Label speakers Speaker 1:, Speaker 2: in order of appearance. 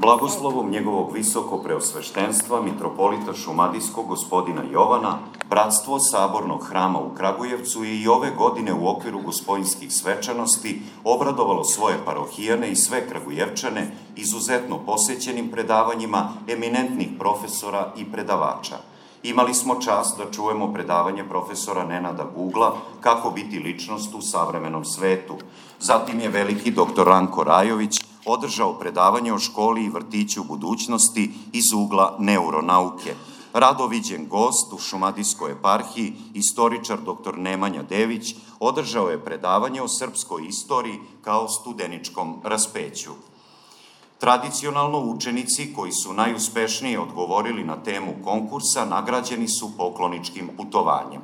Speaker 1: Blagoslovom njegovog visoko preosveštenstva, mitropolita Šumadijskog gospodina Jovana, Bratstvo Sabornog hrama u Kragujevcu je i ove godine u okviru gospojinskih svečanosti obradovalo svoje parohijane i sve Kragujevčane izuzetno posećenim predavanjima eminentnih profesora i predavača. Imali smo čast da čujemo predavanje profesora Nenada Gugla Kako biti ličnost u savremenom svetu. Zatim je veliki doktor Ranko Rajović održao predavanje o školi i vrtiću budućnosti iz ugla neuronauke. Radoviđen gost u Šumadijskoj eparhiji, istoričar dr. Nemanja Dević, održao je predavanje o srpskoj istoriji kao studeničkom raspeću. Tradicionalno učenici koji su najuspešnije odgovorili na temu konkursa nagrađeni su pokloničkim putovanjem.